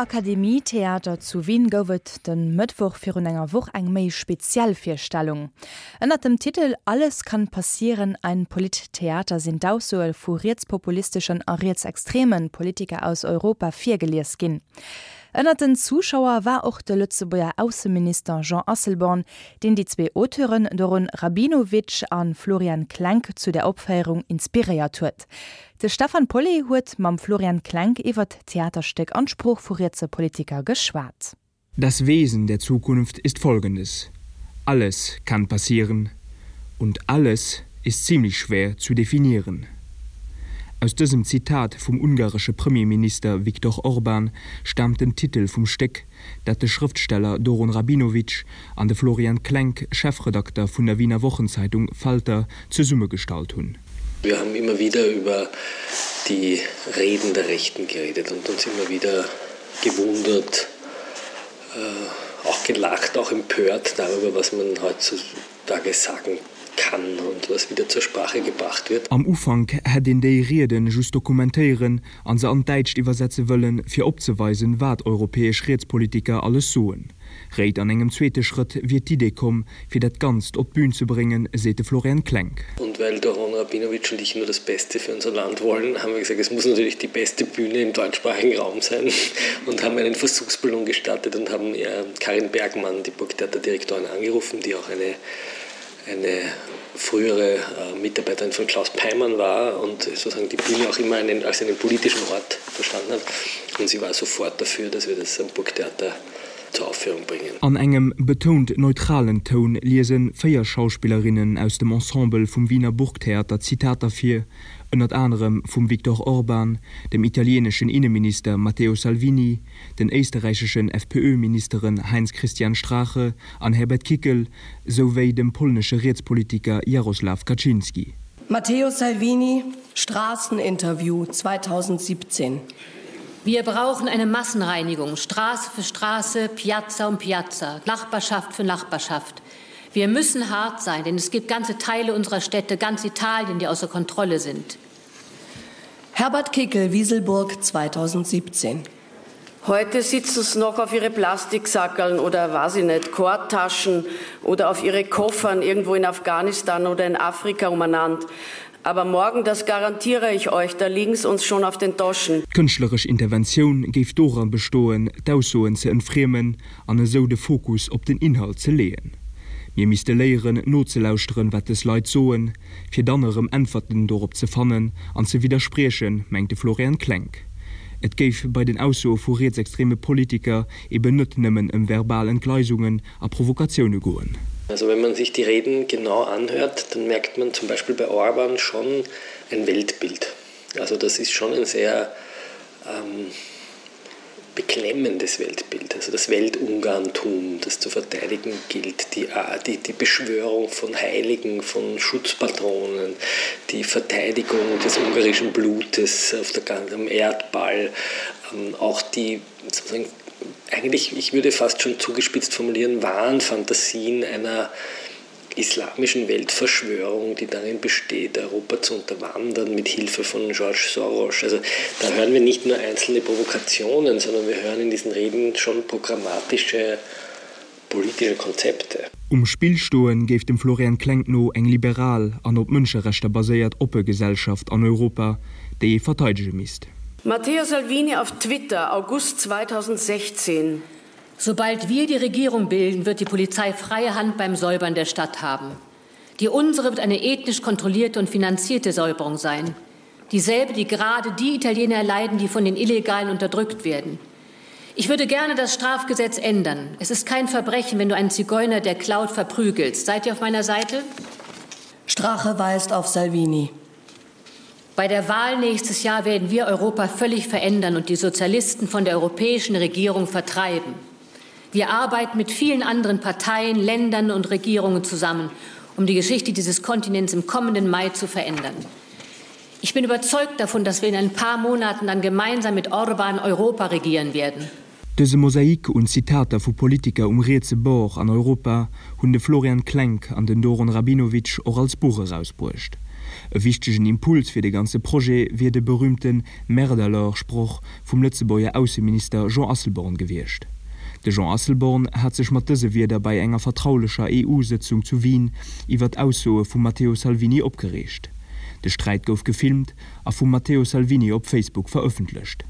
Akademietheater zu Wien gouf et de Mëttwoch virun enger Woch eng méi speziell Virstellung. Ënnert dem Titel Alles kann passieren, ein Polittheater sinn d'Aussoe vu rietspopulisteschen a rietsextreme Politiker aus Europa virgelies ginn. Ënnert den Zuschauer war och de Lëtzebuerger Ausseminister Jean Asselborn, deen déi zwee Auteuren Doron Rabinowitsch a Florian Klenk zu der Opféierung inspiréiert huet. De Stefan Pauly huet mam Florian Klenk iwwert d'Theaterstéck an d'Sprooch vu rietse Politiker geschwat. Das Wesen der Zukunft ist folgendes: Alles kann passieren und alles ist ziemlich schwer zu definieren. Aus dësem Zitat vum ungaresche Premierminister Viktor Orban staamt den Titel vum Stéck, dat de Schrëftsteller Doron Rabinowitsch an de Florian Klenk, Chefredakter vun der Wiener Wochenzeitung Falter, zesummegestallt hunn. Wir haben immer wieder über die Reden der Rechten geredet und uns immer wieder gewundert, äh, auch gelacht, auch empört darüber, was man heutzutage sagen kann und was wieder zur Sprache gebracht wird. Am Ufank hätt een déi Rieden just dokumentéieren an se an d'Däitscht iwwersetze wëllen, fir opzeweisen, wat europäesch Rietspolitiker alles soen. Réit an engem zweete Schrëtt wier d'Idee komm, fir dat Ganzt op d'Bün ze bréngen, seet de Florian Klenk. Und weil Doron Rabinowitsch und ich nur das Beste für unser Land wollen, haben wir gesagt, es muss natürlich die beste Bühne im deutschsprachigen Raum sein und haben einen Versuchsballon gestartet und haben äh, Karin Bergmann, die Burgtheaterdirektorin, angerufen, die auch eine, eine frühere äh, Mitarbeiterin von Klaus Peimann war und sozusagen die Bühne auch immer einen, als einen politischen Ort verstanden hat. Und sie war sofort dafür, dass wir das am Burgtheater zur Aufführung bringen. An engem betount neutralen Toun liese 4 Schauspillerinnen aus dem Ensemble vum Wiener Burgtheater Zitater vir, ënnert anerem vum Viktor Orban, dem italieeneschen Inneminister Matteo Salvini, den éisterräicheschen FPÖ-Ministeren Heinz-Christian Strache an Herbert Kickl, sou wéi dem polnesche Rietspolitiker Jaroslaw Kaczynski. Matteo Salvini, Straßeninterview 2017. Wir brauchen eine Massenreinigung, Straße für Straße, Piazza um Piazza, Nachbarschaft für Nachbarschaft. Wir müssen hart sein, denn es gibt ganze Teile unserer Städte, ganz Italien, die außer Kontrolle sind. Herbert Kickel, Wieselburg 2017. Heute sitzen sie noch auf ihre Plastiksackerln oder weiß ich nicht, Kordtaschen oder auf ihre Koffern irgendwo in Afghanistan oder in Afrika umeinander. Aber morgen, das garantiere ich euch, da liegen sie uns schon auf den Taschen. D'kënschtleresch Interventioun géif doran bestoen, d'Aussoen ze entfriemen an esou de Fokus op den Inhalt ze leeën. Mir misste léieren, nozelauschteren, wat dës Leit soen, fir dann erëm Äntwerten dorop ze fannen an ze widderspriechen, mengt de Florian Klenk. Et géif bei den Aussoe vu rietsextreme Politiker eben net nëmmen ëm verbal Entgleisungen a Provokatioune goen. Also wenn man sich die Reden genau anhört, dann merkt man zum Beispiel bei Orban schon ein Weltbild. Also das ist schon ein sehr ähm, beklemmendes Weltbild, also das Weltungarntum, das zu verteidigen gilt, die, äh, die, die Beschwörung von Heiligen, von Schutzpatronen, die Verteidigung des ungarischen Blutes auf der, am Erdball, ähm, auch die sozusagen, eigentlich, ich würde fast schon zugespitzt formulieren, Wahnfantasien einer islamischen Weltverschwörung, die darin besteht, Europa zu unterwandern mit Hilfe von George Soros. Also da hören wir nicht nur einzelne Provokationen, sondern wir hören in diesen Reden schon programmatische politische Konzepte. Um Spill stoe géif dem Florian Klenk no eng liberal an op Mënscherechter baséiert oppe Gesellschaft an Europa, déi ee verteidege misst. Matteo Salvini auf Twitter, August 2016. Sobald wir die Regierung bilden, wird die Polizei freie Hand beim Säubern der Stadt haben. Die unsere wird eine ethnisch kontrollierte und finanzierte Säuberung sein. Dieselbe, die gerade die Italiener erleiden, die von den Illegalen unterdrückt werden. Ich würde gerne das Strafgesetz ändern. Es ist kein Verbrechen, wenn du einen Zigeuner der Cloud verprügelst. Seid ihr auf meiner Seite? Strache weist auf Salvini. Bei der Wahl nächstes Jahr werden wir Europa völlig verändern und die Sozialisten von der europäischen Regierung vertreiben. Wir arbeiten mit vielen anderen Parteien, Ländern und Regierungen zusammen, um die Geschichte dieses Kontinents im kommenden Mai zu verändern. Ich bin überzeugt davon, dass wir in ein paar Monaten dann gemeinsam mit Orban Europa regieren werden. Dëse Mosaik un Zitater vu Politiker um rietse Bord an Europa hunn de Florian Klenk an den Doron Rabinowitsch och als Buch erausbruecht. E wichtegen Impuls fir de ganze Projet wier de berüümte Merde alors-Sproch vum Lëtzebuerger Ausseminister Jean Asselborn gewiescht. De Jean Asselborn hat sech mat dëse Wierder bei enger vertraulecher EU-Sëtzung zu Wien iwwer d'Aussoe vum Matteo Salvini opgereegt. De Sträit gouf gefilmt a vum Matteo Salvini op Facebook verëffentlecht.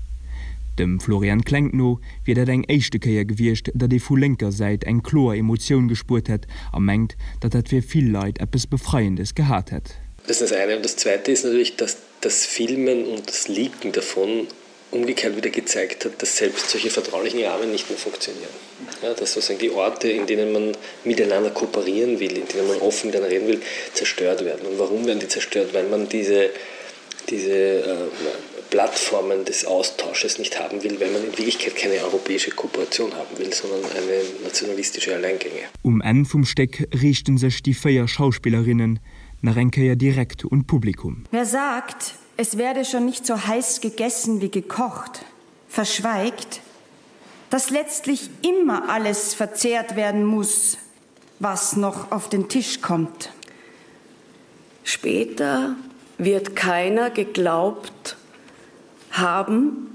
Dem Florian Klenk no wier dat eng éischte Kéier gewiescht, datt ee vu lénker Säit eng kloer Emotioun gespuert hätt a mengt, datt dat fir vill Leit eppes Befreiendes gehat hätt. Das ist das eine. Und das zweite ist natürlich, dass das Filmen und das Leaken davon umgekehrt wieder gezeigt hat, dass selbst solche vertraulichen Rahmen nicht mehr funktionieren. Ja, dass sozusagen die Orte, in denen man miteinander kooperieren will, in denen man offen miteinander reden will, zerstört werden. Und warum werden die zerstört? Weil man diese, diese äh, Plattformen des Austausches nicht haben will, weil man in Wirklichkeit keine europäische Kooperation haben will, sondern eine nationalistische Alleingänge. Um Enn vum Stéck riichten sech déi 4 Schauspillerinnen nach eng Kéier direkt un d'Publikum. Wer sagt, es werde schon nicht so heiß gegessen wie gekocht, verschweigt, dass letztlich immer alles verzehrt werden muss, was noch auf den Tisch kommt. Später wird keiner geglaubt haben,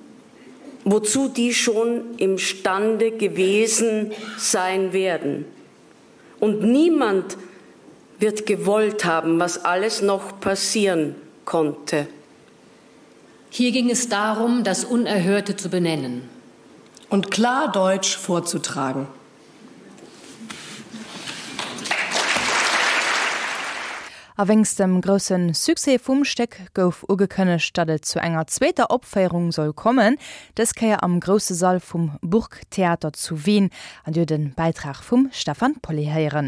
wozu die schon imstande gewesen sein werden. Und niemand wird gewollt haben, was alles noch passieren konnte. Hier ging es darum, das Unerhörte zu benennen und klar Deutsch vorzutragen. A wéinst dem grousse Succès vum Stéck gouf ugekënnegt, datt et zu enger zweeter Opféierung soll kommen, dës Kéier am grousse Sall vum Burgtheater zu Wien. An Dir hutt e Bäitrag vum Stefan Pauly héieren.